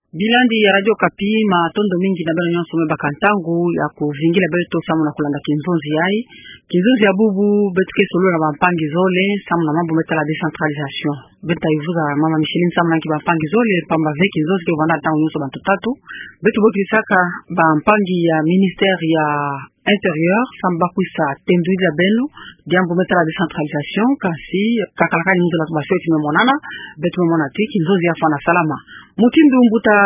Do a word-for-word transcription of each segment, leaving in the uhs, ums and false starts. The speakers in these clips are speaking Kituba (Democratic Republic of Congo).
Bilandi ya Radio Okapi, matondo mingi na beno nyonso me baka ntangu ya kuvingila beto samu na kulanda kinzonzi yayi. Kinzonzi ya bubu, beto ke solola na bampangi zole samu na mambu me tala décentralisation. Beto ta vuza Mama Micheline samu na nki bampangi zole, pamba ve kinzonzi ke vanda ntangu nyonso bantu tatu. Beto bokisaka bampangi ya ministère ya Intérieur samu ba kwisa tendudila beno diambu me tala décentralisation, kasi kakala kani nzola tuba sioti me monana, beto me mona ti kinzonzi ya fwana salama. Mutindu mbuta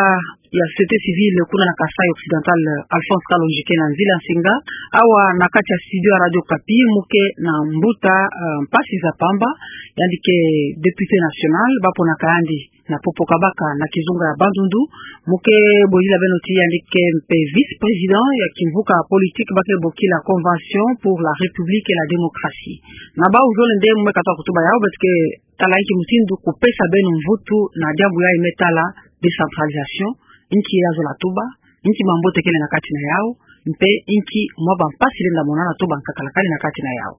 ya société civile kuna na Kasaï Occidental, Alphonse Kalonji ke na nzila nsinga awa na kati ya studio ya Radio Okapi, mu ke na mbuta, eh, mpasi za pamba, yandi ke député national, ba ponaka yandi na Pokopoko, baka na kizunga ya Bandundu, mu ke boyila beno ti yandi ke mpe vice-président ya kimvuka politique ba ke bokila Convention pour la République et la Démocratie. Na bawu zole nde mu me katuba kutuba yawu, beto ke tala nki mutindu kupesa beno mvutu na diambu yayi me tala décentralisation, nki ya zola tuba, nki mambote kele na kati na yawu, mpe nki mwa bampasi lenda monana to bankakala kani na kati na yawu.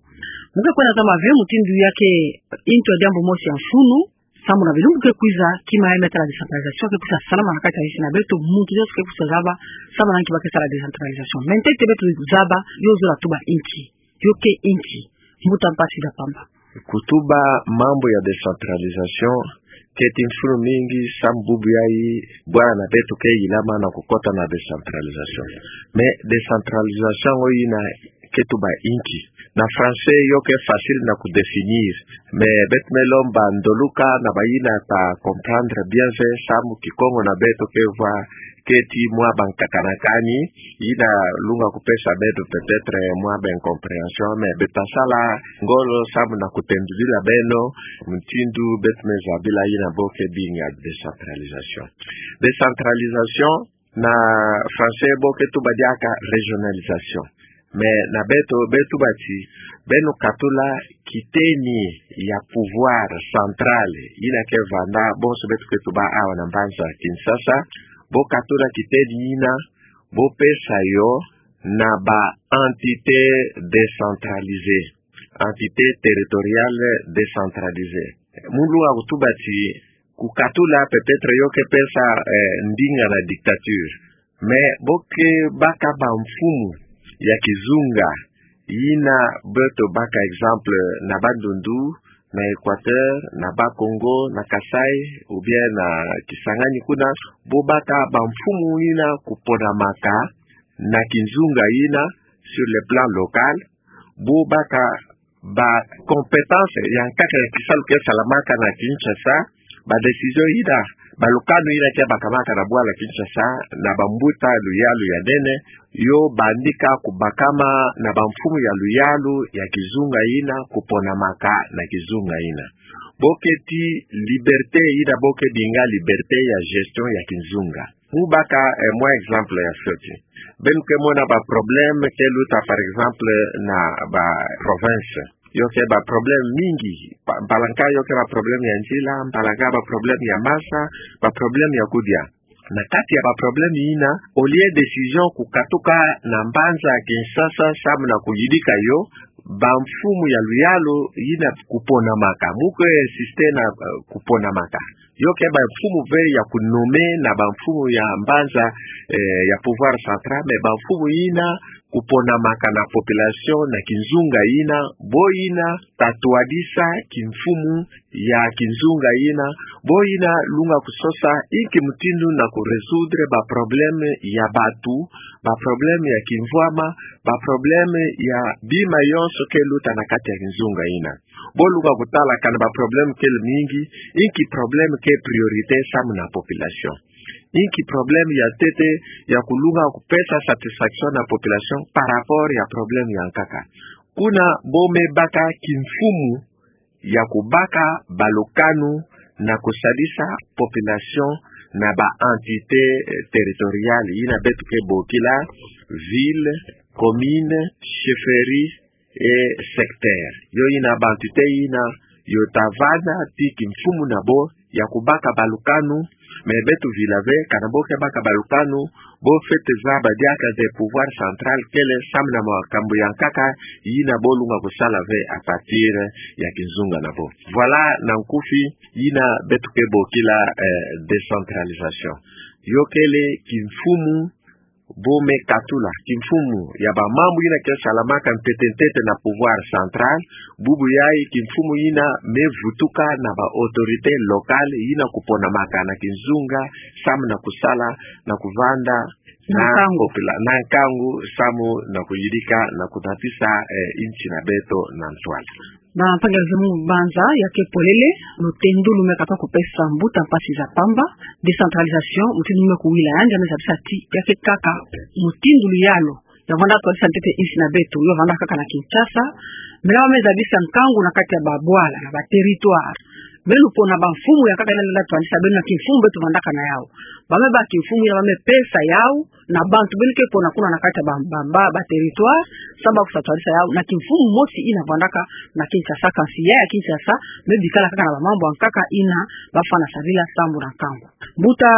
Mu ke kwenda zaba ve mutindu ya ke nto ya diambu mosi ya mfunu, samu na bilumbu ke kwiza, kima ya me tala décentralisation ke kwisa salama na kati ya nsi na beto, muntu nyonso ke kwisa zaba samu na nki ba ke sala décentralisation. Mais ntete beto zaba, yo zola tuba nki, yo ke nki, mbuta mpasi za pamba. Kutuba mambu ya décentralisation keti mfunu mingi samu bubu yayi bwana na beto ke yilama na kukota na décentralisation. Mais décentralisation ngo yina ke tuba nki? Na français yo ke facile na kudéfinir. Mais beto me lomba ndoluka na bayina ta comprendre bien ve samu Kikongo na beto ke vwa keti mwa bankakana kani, yina lunga kupesa beto peut-être mwa ba incompréhension, mais beto ta sala ngolo samu na kutendudila beno mutindu beto me zabila yina bo ke binga décentralisation. Décentralisation, na français bo ke tuba diaka régionalisation. Mais na beto, beto tuba ti, beno katula kitengi ya pouvoir central yina ke vanda bonso beto ke tuba awa na mbanza Kinshasa, bo katula kitengi yina, bo pesa yo na ba entités décentralisées, entités territoriales décentralisées. Mu lunga kutuba ti kukatula peut-être yo ke pesa, eh, ndinga na dictature. Mais bo ke baka bamfumu ya kizunga yina beto baka exemple na Bandundu, na Équateur, na Bas-Congo, na Kasaï, ou bien na Kisangani kuna, bo baka bamfumu yina kuponamaka na kizunga yina sur le plan local, bo baka ba compétence ya nkaka ya kisalu ke salamaka na Kinshasa, ba décision yina, ba lukanu yina ke bakamaka na bwala Kinshasa na bambuta luyalu ya nene, yo bandika kubakama na bamfumu ya luyalu ya kizunga yina, kuponamaka na kizunga yina. Bo keti liberté yina bo ke binga liberté ya gestion ya kizunga. Mu baka, eh, mwa exemple ya fioti. Beno ke mona ba problème ke luta, par exemple, na ba province. Yo ke ba problème mingi. Ba, mpalanka yo ke ba problème ya nzila, mpalanka ba problème ya masa, ba problème ya kudia. Na kati ya ba problème yina, au lieu décision kukatuka na mbanza Kinshasa samu na kuyidika yo, bamfumu ya luyalu yina kuponamaka. Mu ke insister na, eh, kuponamaka. Yo ke bamfumu ve ya kunommer na bamfumu ya mbanza, eh, ya pouvoir central, mais bamfumu yina kuponamaka na population na kizunga yina, bo yina ta twadisa kimfumu ya kizunga yina, bo yina lunga kusosa inki mutindu na kurésoudre ba problème ya batu, ba problème ya kimvwama, ba problème ya bima yonso ke luta na kati ya kizunga yina. Bo lunga kutala kana ba problème ke mingi, inki problème ke priorité samu na population. Inki problème ya ntete ya kulunga kupesa satisfaction na population par rapport ya problème ya nkaka. Kuna bo me baka kimfumu ya kubaka ba lukanu na kusalisa population na ba entités, eh, territoriales yina beto ke bokila ville, commune, chefferie et secteur. Yo yina ba entités yina yo ta vanda ti kimfumu na bo ya kubaka ba lukanu, mais beto vila ve kana bo ke baka ba lukanu, bo fwete zaba diaka nde pouvoir central kele samu na makambu ya nkaka yina bo lunga kusala ve à partir ya kizunga na bo. Voilà na nkufi yina beto ke bokila, eh, décentralisation. yo kele kimfumu bo me katula, kimfumu ya bamambu yina ke salamaka ntete ntete na pouvoir central, bubu yayi kimfumu yina me vutuka na ba autorité locale yina kuponamaka na kizunga, samu na kusala, na kuvanda, na nkangu. Popula-, na nkangu, samu na kuyidika, na kudatisa, eh, insi na beto na ntwala. Ba mpangi zeme banza, ya ke polele, lutendu lu me katuka kupesa mbuta mpasi za pamba, décentralisation, mutindu me kuwila yandi, ya me zabisa ti, ya ke kaka, mutindu luyalu, ya vanda twadisa ntete insi na beto, yo vanda kaka na Kinshasa, mais ba me zabisa nkangu na kati ya babwala, na ba territoire. Mais lupona bamfumu ya kaka yina lenda twadisa beno na kimfumu beto vandaka na yau. Ba me bâ kimfumu yina ba me pesa yau, na bantu beno ke pona kuna na kati ya ba, ba, ba, ba territoire, samu ba kusa twadisa yau, na kimfumu mosi yina vandaka na Kinshasa, kansi ya ya Kinshasa, me bikala kaka na bamambu ya nkaka yina, ba fana sarila sambu na nkangu. Mbuta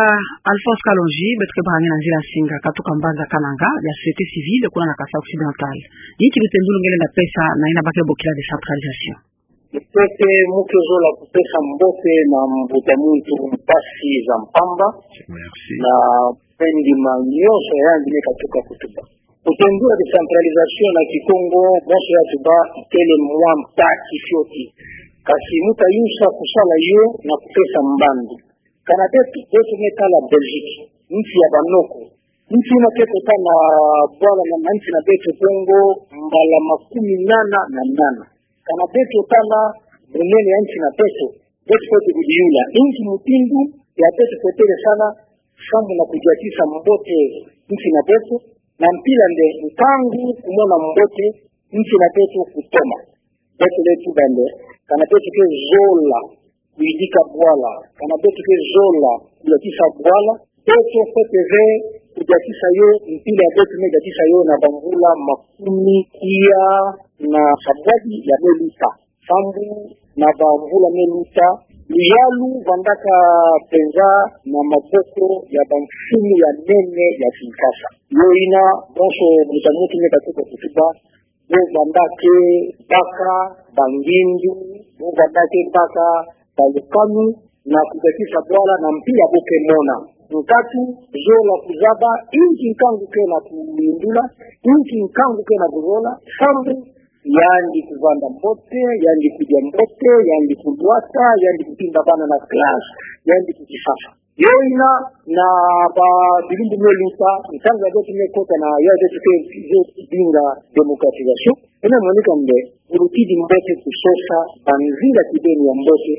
Alphonse Kalonji, beto ke baka nge na nzila nsinga, katuka mbanza Kananga, ya société civile, kuna na Kasaï Occidental. Inki lutendu lu nge lenda pesa, na yina ba ke bokila décentralisation. Ntete mu ke zola kupesa mbote na mbuta muntu mpasi za mpamba. Merci. Na mpe ndima nyonso ya yandi me katuka kutuba. Lutendu ya décentralisation na Kikongo, bonso ya tuba, ikele mwa mpasi fioti. Kansi mu ta yusa kusala yo na kupesa mbandu. Kana beto, beto me tala Belgique, nsi ya banoko. Nsi yina ke kota na bwala na, na nsi na beto bongo mbala makumi nana na nana. Kana beto tala bunene ya nsi na beto, beto fwete kudiyula inki mutindu ya beto fwete sala, sambu na kudiatisa mbote nsi na beto, na mpila nde nkangu kumona mbote nsi na beto kutoma. Beto le tuba nde, kana beto ke zola kuyidika bwala, kana beto ke zola kudiatisa bwala, beto fwete ve kudiatisa yo, mpila ya beto me diatisa yo na bamvula makumi kiya na sabwadi ya me luta. Sambu na bamvula me luta, luyalu vandaka penza na maboko ya bamfumu ya nene ya Kinshasa. Yo yina, bonso mbuta muntu me katuka kutuba, bo vanda ke baka bangindu, bo vanda ke baka balukanu, na kudiatisa bwala na mpila bo ke mona. Nkatu zola kuzaba inki nkangu ke na kuyindula, inki nkangu ke na kuzola, sambu yandi kuvanda mbote, yandi kudia mbote, yandi kulwata, yandi kutimba bana na classe, yandi kukisasa. Yo yina na babilumbu me luta, ntangu ya beto me kota na ya beto ke zo dinga démocratisation. Ena monika nde, bu lutidi mbote kusosa banzila kibeni ya mbote,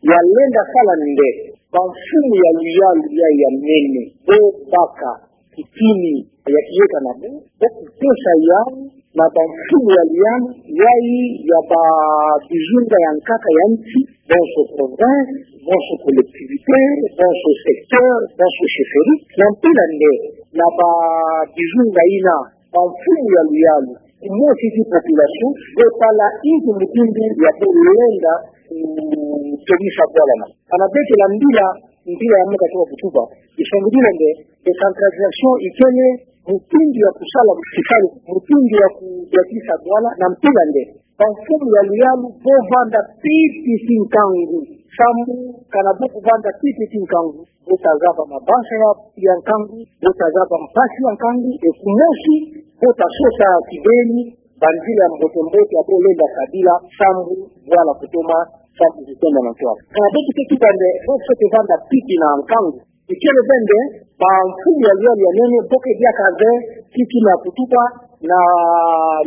ya lenda sala nde, bamfumu ya luyalu ya ya nene, bo baka kitini ya kiyeka na bo, bo kupesa yau na bamfumu ya luyalu, yayi ya babizunga ya nkaka ya nsi, bonso province, bonso collectivité, bonso secteur, bonso chefferie, na mpila nde, na babizunga yina, bamfumu ya luyalu, kumosi ti population, bo tala inki mutindu ya bo lenda, mm, kutomisa bwala na. Kana beto la mbila, mpila ya me katuka kutuba. Isongidila nde, décentralisation ikele mutindu ya kusala, kisalu, mutindu ya kudiatisa bwala, na mpila nde, bamfumu ya luyalu, bo vanda piti ti nkangu. Sambu, kana bo kuvanda piti ti nkangu, bo ta zaba mabanza ya, ya nkangu, bo ta zaba mpasi ya nkangu, e kumosi, bo ta sosa kibeni banzila ya mbote mbote ya bo lenda sadila, sambu bwala kutoma, sambu kutonda na ntwala. Kana beto ke tuba nde, bo fwete vanda piti na nkangu. Ikele ve nde, bamfumu ya luyalu ya nene, bo ke diaka ve, kiki na kutuba, na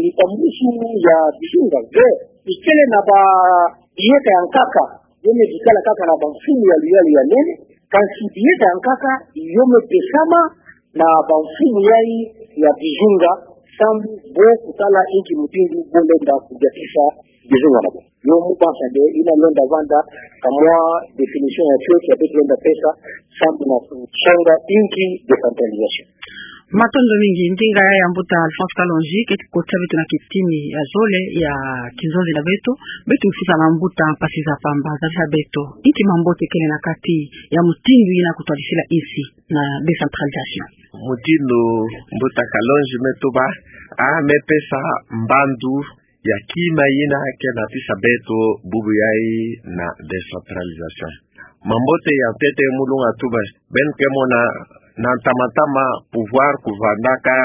lipambusu ya bizunga ve. Ikele na ba, biyeka ya nkaka, yo me bikala kaka na bamfumu ya luyalu ya nene, kansi biyeka ya nkaka, yo me pesama, na bamfumu yayi ya bizunga, sambu bo kutala inki mutindu bo lenda kudiatisa bizunga na bo. Yo mu banza nde, yina lenda vanda, ka mwa définition ya fioti ya beto lenda pesa, sambu na kusonga inki décentralisation. Matondo mingi, ndinga ya mbuta Alphonse Kalonji, keti kotisa beto na kitini ya zole ya kinzonzi na beto, beto mfusa na mbuta Mpasi za Pamba, zabisa beto, inki mambote kele na kati ya mutindu yina kutwadisila insi na décentralisation. Mutindu mbuta Kalonji me tuba, a me pesa mbandu ya kima yina ke natisa beto bubu yayi na décentralisation. Mambote ya ntete mu lunga tuba, beno ke mona Na ntama-ntama pouvoir kuvandaka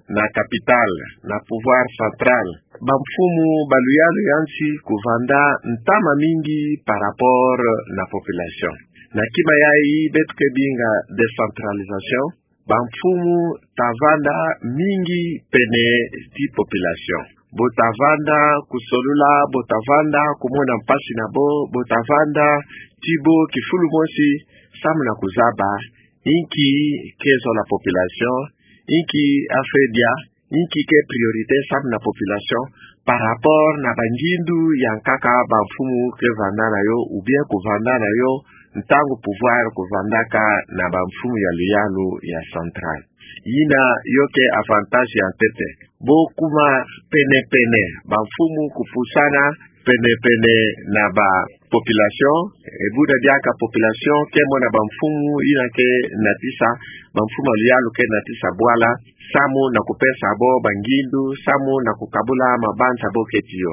na capitale, na pouvoir central. Bamfumu ba luyalu ya nsi kuvanda ntama mingi par rapport na population. Na kima yayi beto ke binga décentralisation, bamfumu ta vanda mingi pene ti population. Bo ta vanda kusolula, bo ta vanda kumona mpasi na bo, bo ta vanda ti bo kifulu mosi, samu na kuzaba inki ke zola population, inki a fweti ya, inki ke priorité samu na population, par rapport na bangindu ya nkaka bamfumu ke vanda na yo, ou bien kuvanda na yo, ntangu pouvoir kuvandaka na bamfumu ya luyalu ya central. Yina yo ke avantage ya ntete. Bo kuma pene-pene, bamfumu kupusana pene-pene na ba population, e buna diaka population ke mona bamfumu yina ke natisa, bamfumu ya luyalu ke natisa bwala, samu na kupesa bo bangindu, samu na kukabula mabanza bo ke tiyo.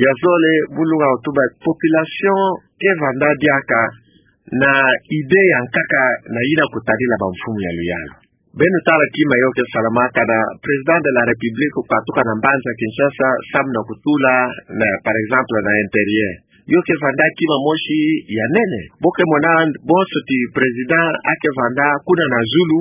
Ya zole, bu lunga kutuba, population ke vanda diaka na idée ya nkaka na yina kutadila bamfumu ya luyalu. Beno tala kima yo ke salamaka na Président de la République kukatuka na mbanza Kinshasa, samu na kutula na, par exemple, na intérieur. Yo ke vanda kima mosi ya nene. Bo ke mona, bonso ti président a ke vanda kuna na zulu,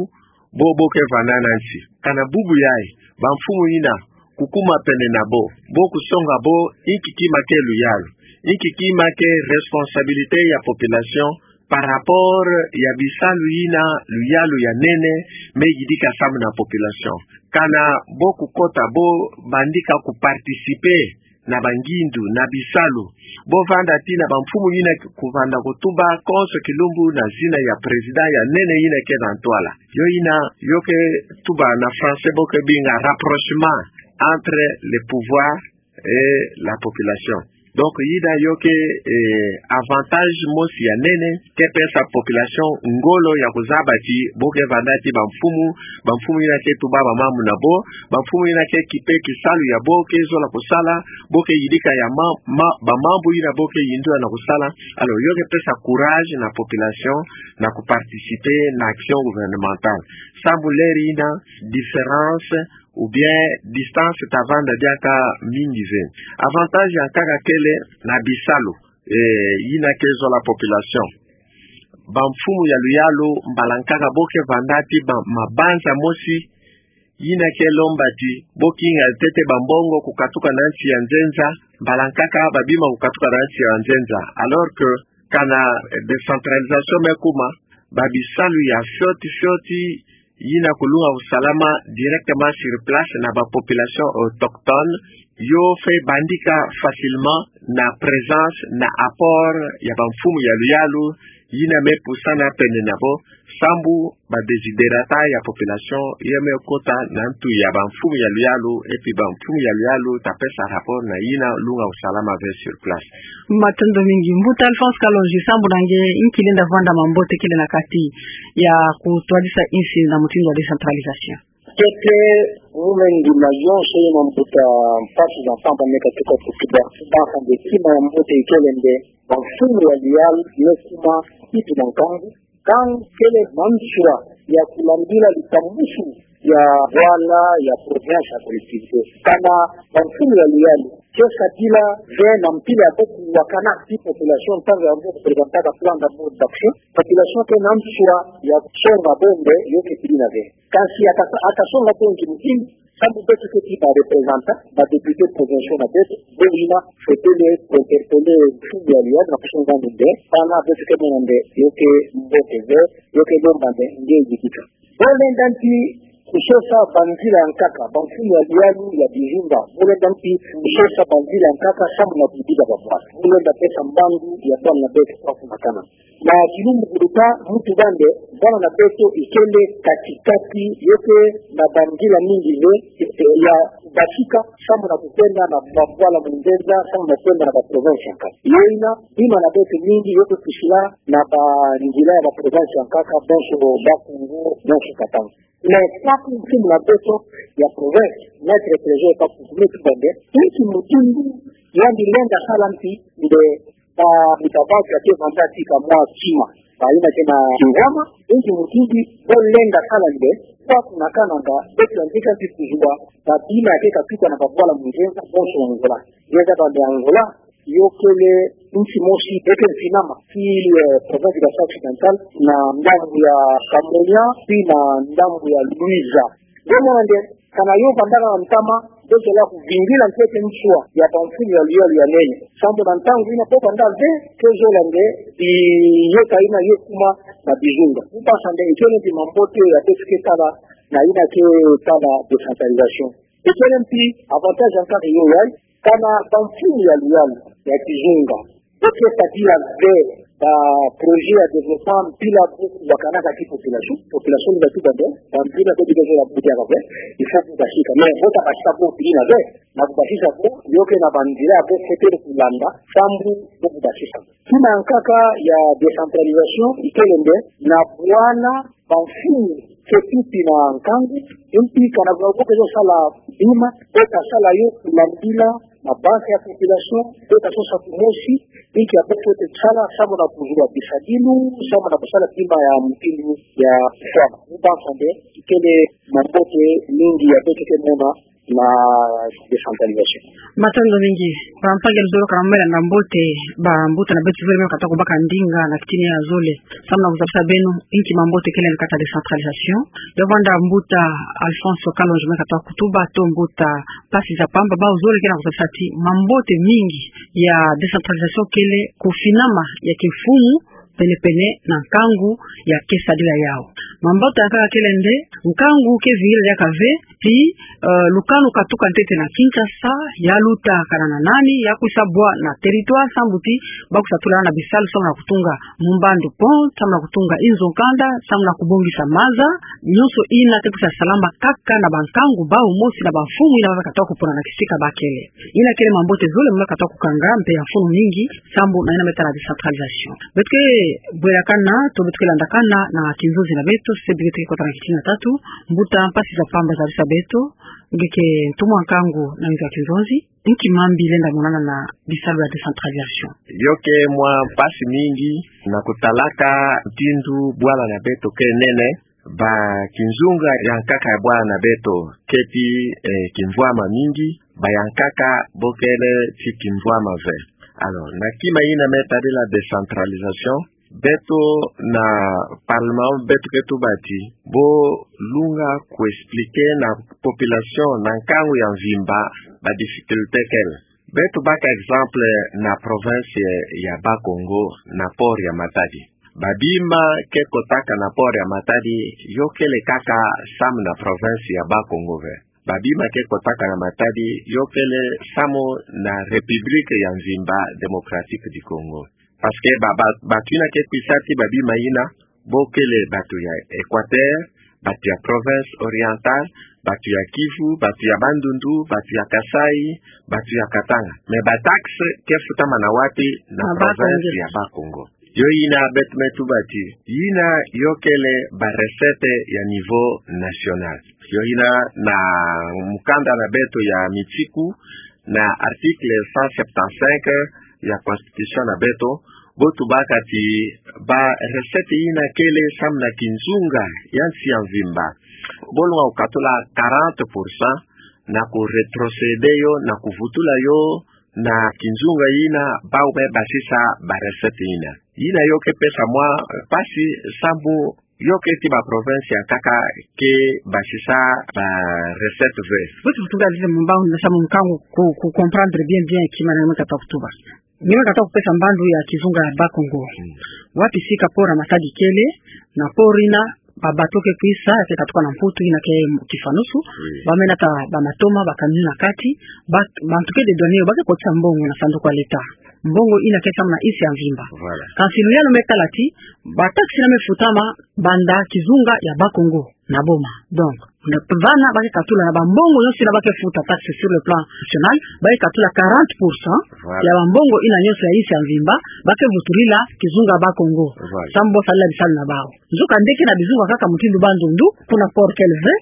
bo, bo ke vanda na nsi. Kana bubu yayi, bamfumu yina kukuma pene na bo, bo kusonga bo inki kima ke luyalu, inki kima ke responsabilité ya population par rapport ya bisalu yina luyalu ya nene me yidika samu na population. Kana bo kukota, bo bandika kuparticiper na bangindu, na bisalu. Bo vanda ti na bamfumu yina kuvanda kutuba konso kilumbu na zina ya président ya nene yina ke na ntwala. Yo yina yo ke tuba na français bo ke binga rapprochement entre le pouvoir et la population. Donc yina yo ke, eh, avantage mosi ya nene ke pesa population ngolo ya kuzaba ti bo ke vanda ti bamfumu, bamfumu yina ke tuba bamambu na bo, bamfumu yina ke kipe kisalu ya bo ke zola kusala, bo ke yidika ya ma, ma, bamambu yina bo ke yindu na kusala. Alors yo ke pesa courage na population na kuparticiper na action gouvernementale. Sambu leri yina différence ou bien distance ta vanda diaka mingi ve. Avantage ya nkaka kele na bisalu, eh, yina ke zola population. Bamfumu ya luyalu mbala nkaka bo ke vanda ti ba, mabanza mosi, yina ke lomba ti bo kinga ntete bambongo kukatuka na nsi ya nzenza, mbala nkaka babima kukatuka na nsi ya nzenza. Alors que kana, eh, décentralisation me kuma, babisalu ya fioti fioti yina kulunga kusalama directement sur place na ba population autochtone, yo fweti bandika facilement na présence, na apport ya bamfumu ya luyalu, yina me pusana pene na bo, sambu ba desiderata ya population ye me kota na ntu ya bamfumu ya luyalu, et puis bamfumu ya luyalu ta pesa rapport na yina lunga kusalama ve sur place. Matondo mingi. Mbuta Alphonse Kalonji, sambu na nge, inki lenda vwanda mambote kele na kati ya kutwadisa insi na mutindu wa décentralisation? Ntete, mu me ndima yonso ye mambuta mpasi za nsamba me katuka kutuba. Mpasi nde kima ya mbote ikele nde bamfumu ya luyalu me kuma kitu na nkangu, nkangu kele manswa ya kulambila likambusu ya bwala, ya province, ya collectivité. Kana bamfumu ya luyalu ke sadila ve na mpila ya bo kuwakana ti population ntangu ya bo kupresentaka plan d'abord d'action, population ke na nswa ya kusonga bo nde yo ke tidina ve. Kansi aka, aka songa bo nki mutindu, sambu beto ke ti ba représentants, ba députés provinciaux na beto, bo yina fwete le kuinterpeller mfumu ya luyalu na kusonga nde, bana beto ke mona nde yo ke mbote ve, yo ke lomba nde nge yidika. Bo lenda nti kusosa banzila ya nkaka, bamfumu ya luyalu ya bizinga, bo lenda nti kusosa banzila ya nkaka samu na kuyidika babwana. Bo lenda pesa mbandu ya bwana na beto kwa kumakana. Na kilumbu kuluta, mu tuba nde bwana na beto ikele kati-kati, yo ke na banzila mingi ve, eh, ya basika samu na kukwenda na babwala mu nzenza, samu na kwenda na ba province ya nkaka. Yo yina, bima na beto mingi yo ke kusila na banzila ya ba province ya nkaka, bonso Bas-Congo, bonso Katanga. Mais kaka mfumu na beto ya province, Maître Trésor Kapuku me tuba nde, inki mutindu yandi lenda sala mpi nde ba mita baki ya ke vanda tika mwa kima. Ba ina ke na kingama, inki mutumbi, bo lenda kala nde, kwa kuna kana nga, betu ya ndika nti kuzua, ba bima ya ke katuka na ba bwala munzenza, bonso Angola. Yeza ba nde Angola, yo kele nti mosi, eke nti nama, ki, eh, province du Kasai Occidental, na ndambu ya Kamonya, pi na ndambu ya Luiza. Nge mona nde, kana yo vandaka na ntama, beto la kuvingila ntete nswa ya bamfulu ya luyalu ya nene. Sambu na ntangu ina bo vanda ve, ke zola nde, biyeka ina ye kuma na bizunga. Mpasa nde, ikele mpi mambote ya beto ke tala, na ina ke tala décentralisation. Ikele mpi avantage ya nkaka yo yai, kana bamfulu ya luyalu ya kizunga. Bo ke tadila ve ba projet ya développement mpila buku bakanaka ti population. Population ni batuba nde, ba mpila ko bika zola buku ya kave, il faut kubasika. Mais, bo tabasika bo mpila ve, na kubasisa bo, yo ke na banzila bo ke tele kulanda, sambu bo kubasisa. Kima ya nkaka ya décentralisation, ikele nde, na bwana, bamfulu ke tuti na nkangu, mpi kana bwa bo ke zo sala bima, bo kasala yo kulandila, na base ya population, bo kasosa kumosi, inki ya bo ke tele sala, samu na kuzua bisadinu, samu na kusala bima ya mutindu ya fwama. Mpasa nde, ikele mambote mingi ya beto ke mona, na décentralisation. Matondo mingi. Ba mpangi luzolo kana mela na mbote, ba mbuta na beto zole me kata kubaka ndinga na kitini ya zole. Samu na kuzabisa beno, inki mambote kele na kati ya décentralisation. Yo vanda mbuta Alphonse Kalonji me kata kutuba to mbuta Mpasi za Pamba, ba zole ke na kuzabisa ti mambote mingi ya décentralisation kele kufinama ya kimfumu, pene-pene na nkangu ya ke sadila yau. Mambote ya nkaka kele nde, nkangu ke vingila diaka ve, ti, eh, lukanu katuka ntete na Kinshasa, ya luta kana na nani, ya kwisa bwa na territoire, sambu ti, ba kwisa tula na bisalu, samu na kutunga Mumbandu Pont, samu na kutunga Inzo Nkanda, samu na kubongisa maza, nyonso ina ke kwisa salama kaka na bankangu bau mosi na bamfumu ina ba kata kupona na kisika ba kele. Ina kele mambote zole me kata kukanga, mpe ya mfunu mingi, sambu na ina me tala décentralisation. Beto ke bwelakana, to beto ke landakana na kinzonzi na beto, se beto ke kota na kitini na tatu, mbuta Mpasi za Pamba zabisa beto, nge ke ntumwa nkangu na nzo ya kinzonzi, inki mambi lenda monana na bisalu ya décentralisation. Yo ke mwa mpasi mingi, na kutalaka mutindu bwala na beto ke nene, ba kinzunga ya nkaka ya bwala na beto, ke ti, eh, kimvwama mingi, ba ya nkaka bo kele ti kimvwama ve. Alors, na kima ina me tadila décentralisation, beto na parlement, beto ke tuba ti, bo lunga ku expliquer na population na nkangu ya mvimba, ba difficulté kele. Beto baka exemple na province ya Bas-Congo, na port ya Matadi. Ba bima ke kotaka na port ya Matadi, yo kele kaka samu na province ya Bas-Congo ve. Ba bima ke kotaka na Matadi, yo kele samu na République ya mvimba Démocratique du Congo. Parce que ba, ba, batu ina ke kwisa ti ba bima ina, bo kele batu ya Équateur, batu ya Province Orientale, batu ya Kivu, batu ya Bandundu, batu ya Kasaï, batu ya Katanga. Mais ba taxe ke futama na wapi? Na province ya Bas-Congo. Yo ina beto me tuba ti, ina yo kele ba recette ya niveau national. Yo ina na mukanda na beto ya mitiku, na article cent septante-cinq ya constitution na beto, bo tubaka ti ba recette ina kele samu na kinzunga ya nsi ya mvimba. Bo lunga kukatula quarante pour cent na ku rétrocéder yo, na kuvutula yo na kinzunga ina bau me basisa ba recette ina. Ina yo ke pesa mwa mpasi samu yo ke ti ba province ya nkaka ke basisa ba recette ve. Bo ti kutuba lile mumba na samu nkangu ku, ku comprendre bien bien kima na me kata kutuba. Ni me kata kupesa mbandu ya kizunga ya Bas-Congo. Mm. Wapi sika port ya Matadi kele, na port ina, ba bateau ke kwisa, ke katuka na Mputu ina ke kifanusu, oui, ba me nata ba matoma, ba camion na kati, ba, bantu ke dédouaner yo, ba ke kotisa mbongo na sanduku ya l'État. Mbongo ina ke samu na nsi ya mvimba. Voilà. Kansi luyalu me tala ti, Ba taxe yina me futama banda kizunga ya Bas-Congo na boma. Donc, na vana ba ke katula na ba mbongo nyonso yina ba ke futa taxe sur le plan national, ba ke katula quarante pour cent. Voilà. Ya ba mbongo yina nyonso ya insi ya mvimba, ba ke vutulila kizunga Bas-Congo. Voilà. Sambu bo salila bisalu na bawu. Nzokande ke na bizunga kaka mutindu Bandundu, kuna Port-Caluvet,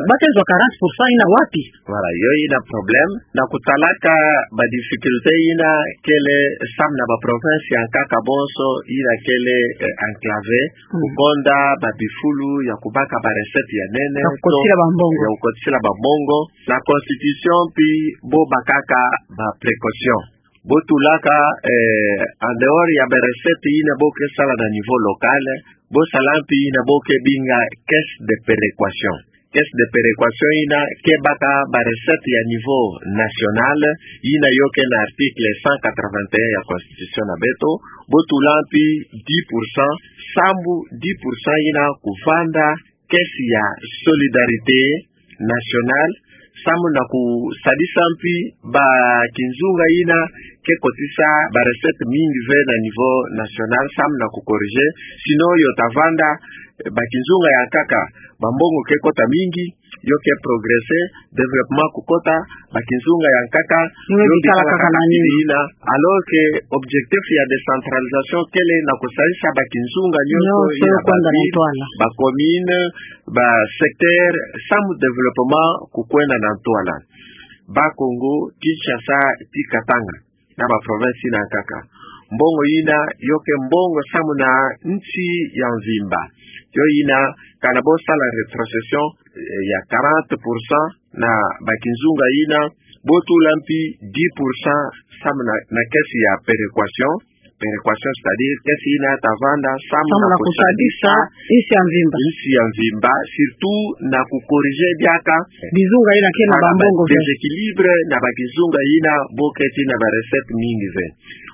ba ke zwa quarante pour cent yina wapi? Voilà, yo yina problème. Na kutalaka ba difficulté yina kele samu na ba province ya nkaka bonso, yina kele, eh, enclavé, mm, kukonda ba bifulu ya kubaka ba recette ya nene, ya kukotila ba mbongo. Ya kukotila ba mbongo. Na constitution mpi bo bakaka ba précaution. Bo tulaka, eh, en dehors ya ba recette yina bo ke sala na niveau local, bo sala mpi yina bo ke binga caisse de péréquation. Caisse de péréquation yina ke baka ba recette ya niveau national, yina yo ke na article cent quatre-vingt-un ya constitution na beto. Bo tula mpi dix pour cent, sambu dix pour cent yina kuvanda caisse ya solidarité nationale, samu na kusadisa mpi ba kinzunga yina ke kotisa ba recette mingi ve na niveau national, samu na kucorriger. Sinon yo ta vanda, eh, ba kinzunga ya nkaka ba mbongo ke kota mingi, yo ke progresser, développement kukota, ba kinzunga ya nkaka yo bikala kaka na nima. Alors que objectif ya décentralisation kele na kusadisa ba kinzunga nyonso, nyonso yina kwenda na ntwala. Ba ville, ba commune, ba secteur, samu développement kukwenda na ntwala. Bas-Congo, Kinshasa, ti Katanga, na ba province yina nkaka, mbongo yina yo ke mbongo samu na nsi ya mvimba. Yo yina, kana bo sala rétrocession, eh, ya quarante pour cent na ba kinzunga yina, bo tula mpi dix pour cent samu na, na caisse ya péréquation. Péréquation, c'est-à-dire caisse yina ta vanda samu na kusadisa nsi ya mvimba. Nsi ya mvimba, surtout na kucorriger diaka bizunga yina ke na ba mbongo ve. Déséquilibre na ba kinzunga yina bo keti na ba recette mingi ve.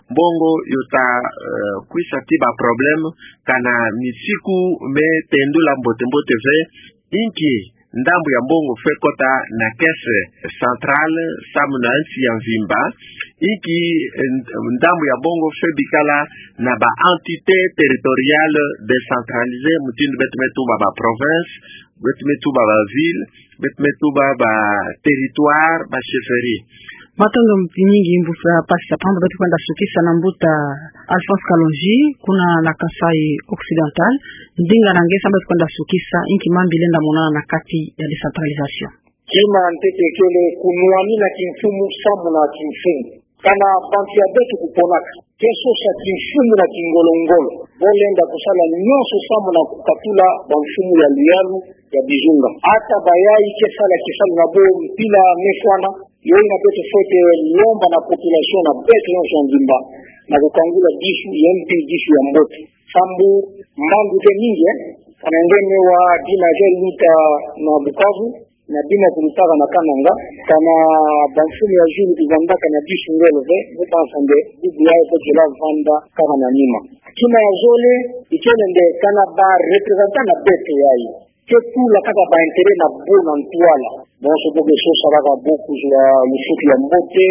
Mbongo yo ta, eh, kwisa ti ba problème, kana misiku me tendula mbote-mbote ve, inki ndambu ya mbongo fwe kota na caisse centrale samu na nsi ya mvimba, inki, eh, ndambu ya mbongo fwe bikala na ba entité territoriale décentralisée, mutindu beto me tuba ba province, beto me tuba ba ville, beto me tuba ba territoire, ba chefferie. Matondo mingi mbuta Pasi Sapamba, beto kwenda sukisa na mbuta Alphonse Kalonji, kuna na Kasaï Occidental. Ndinga na nge samu beto kwenda sukisa, inki mambu lenda monana na kati ya décentralisation? Kima ntete kele kunwanina kimfumu samu na kimfumu. Kana bantu ya beto kuponaka, ke sosa kimfumu na kingolo-ngolo, bo lenda kusala nyonso samu na kukatula ba mfumu ya luyalu ya bizunga. Ata bayayi ke sala kisalu na bo mpila mefwana, yo yina beto fwete lomba na population na beto nyonso ya mvimba, na kukangula disu ya mpi, disu ya mbote. Sambu mbandu ke mingi, eh? Kana nge me wa dina ke luta na Bukavu, na bima kulutaka na Kananga, kana ba mfumu ya zulu kuvandaka na disu ngolo ve, bo banza nde bubu yayi bo kela vanda kaka na nima. Kima ya zole, ikele nde kana ba représentants na beto yayi ke tula kaka ba intérêts na bo na ntwala. Bonso bo ke sosa kaka bo kuzwa lufutu ya mbote,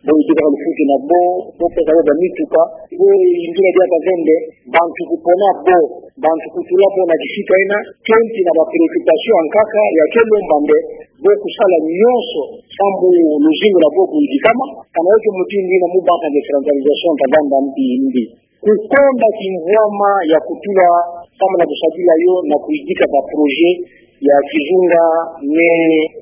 bo yidika lufutu na bo, bo pesa bo ba mituka, bo yindula diaka ve nde bantu kupona bo, bantu kutula bo na kisika yina, kenti na ba préoccupations ya nkaka ya ke lomba nde bo kusala nyonso sambu luzingu lwa bo luyidikama. Kana yo ke mutindu yina, mu banza nde décentralisation ta vanda mbi mbi. Kukonda kimvwama ya kutula samu na kusadila yo na kuyidika ba projet ya kizunga me,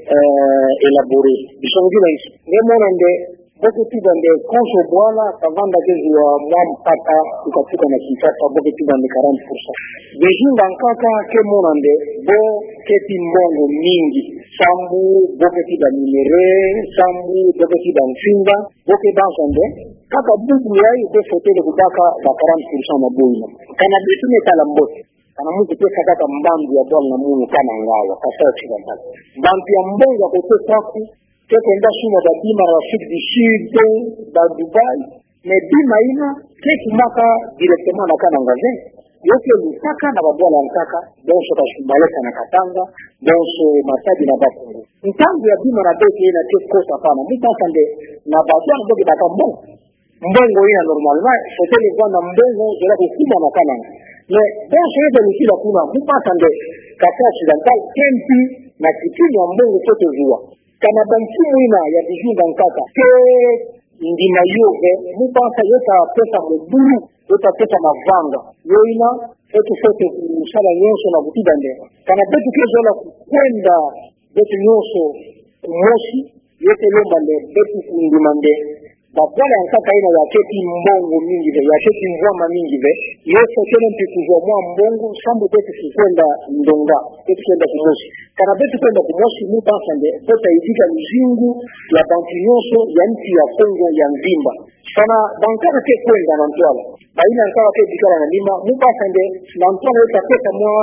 eh, élaborer. Bisongila insi. Nge mona nde, bo ke tuba nde konso bwala ka vanda ke zwa mwa mpata kukatuka na Kinshasa, bo ke tuba nde quarante pour cent. Bizunga nkaka ke mona nde bo keti mbongo mingi. Sambu bo keti ba minerais, sambu bo keti ba nsinga, bo ke banza nde kaka bubu yayi bo fwetele kubaka ba quarante pour cent na bo yina. Kana beto me tala mbote, kana mu ke tesa kaka mbandu ya bwala na munu Kananga awa, Kasaï Occidental. Bantu ya mbongo ya kote kwaku, ke kwenda suma ba bima na Afrique du Sud, ba Dubaï, mais bima yina ke kumaka directement na Kananga ve. Yo ke lutaka na ba bwala nkaka, bonso Kasumbalesa na Katanga, bonso Matadi na Bas-Congo. Ntangu ya bima na beto yina ke kota pana, mu banza nde na ba bwala bo ke baka mbongo. Mbongo yina normalement fwetele vwanda mbongo zola kukuma na Kananga. Mais bonso ye ta lutila kuna, mu basa nde, Kasai Occidental, kempi na kipini ya mbongo fwete zua. Kana bamfumu ina ya Bijunga Nkaka ke ndima yo ve, mu basa yo ta pesa mobulu, yo ta pesa mavanga. Yo ina, beto fwete kusala nyonso na kutuba nde, kana beto ke zola kukwenda, beto nyonso kumosi, yo ke lomba nde beto kundima nde babwala ya nkaka ina ya keti mbongo mingi ve, ya keti mvwama mingi ve, yo fwete ne mpi kuzwa mwa mbongo, sambu beto kukwenda ndonga, beto kwenda kumosi. Kana beto kwenda kumosi, mu basa nde, beto ta yidika luzingu ya bantu nyonso ya nsi ya Kongo ya mvimba. Kana bankaka ke kwenda na ntwala, bayina nkaka ke bikala na lima, mu basa nde, na ntwala yo ta pesa mwa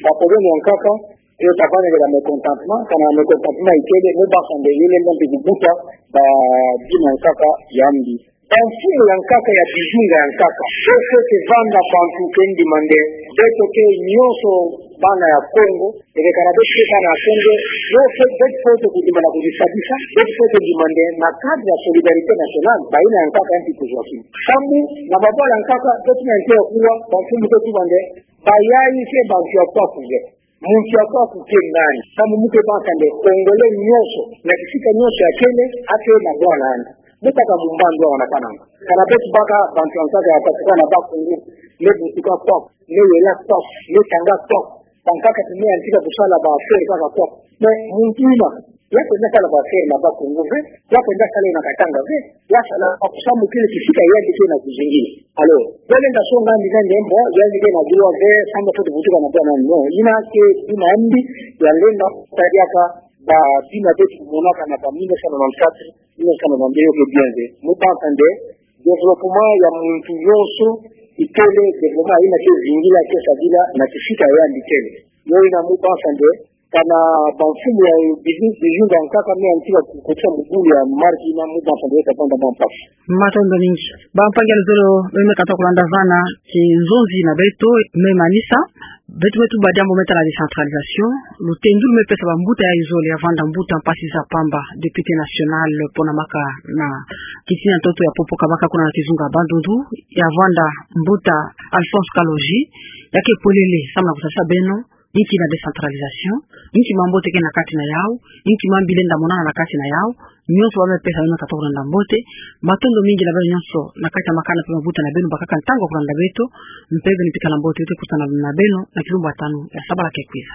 bakoloni ya nkaka, yo ta vanakela mécontentement, kana mécontentement ikele, mu basa nde, yo lenda mpi kubuta babima nkaka ya mbi. Bamfumu ya nkaka ya Bijunga ya Nkaka, yo fwete vanda bantu ke ndima nde, beto ke nyonso bana ya Kongo, ebe kana beto ke bana ya Kongo, yo fwete, beto fwete kundima na kuzisadisa, beto fwete ndima nde, na cadre ya solidarité nationale, bayina ya nkaka ya mpi kuzwa kima. Sambu, na babwala ya nkaka, beto na nte ya kuwa, bamfumu ke tuba nde, bayayi ke bantu ya kwaku ve. Muntu ya kwaku ke nani? Sambu mu ke basa nde Congolais nyonso, na kisika nyonso ya kele, ake na bwala andi. Mu baka mu mbandu awa na kananga. Kana beto baka bantu ya nkaka ya Bakongo, na Bakongo, ne butuka kwaku, ne yela kwaku, ne tanga kwaku. Bankaka ti me yantika kusala ba affaire kaka kwaku. Mais muntu ina, ya kwenda sala ba affaire na Bakongo ve, ya kwenda sala na Katanga ve, ya sala, sambu kele kisika yandi ke na kuzingila. Alors, ya lenda songa andi nande mbo, yandi ke na droit ve, sambu fwete butuka na bwala andi, non. Ina ke bima ya mbi, ya lenda tadiaka babima beto kumonaka na ba mille neuf cent quatre-vingt-quatre, mille neuf cent quatre-vingt-deux yo ke bien ve. Mu basa nde, développement ya muntu nyonso, ikele développement ina ke zingila, ke sadila, na kisika yandi kele. Yo ina mu basa nde, kana bamfumu ya Biju-, Bijunga Nkaka me yantika kukotisa mobulu ya marque ina, mu basa nde yo ta vanda mwa mpasi. Matondo mingi. Bampangi ya luzolo, beno me katuka kulanda vana, kinzonzi na beto, me manisa, beto me tuba diambu me tala décentralisation, lutendu lu me pesa bambuta ya zole ya vanda mbuta Mpasi Nzapamba, député national, pona maka na kitina ntoto ya Popo Kabaka kuna na kizunga Bandundu, ya vanda mbuta Alphonse Kalonji, ya ke polele, samu na kusalisa beno, inki na décentralisation, inki mambote ke na kati na yau, inki mambi lenda monana na kati na yau, nyonso ba me pesa beno katuka kulanda mbote, matondo mingi na beno nyonso, na kati ya makanda mpe mabuta na beno, bakaka ntangu ya kulanda beto, mpe beno bikala mbote, beto ke kutana na beno, na kilumbu ya tanu, ya sabala ke kwiza.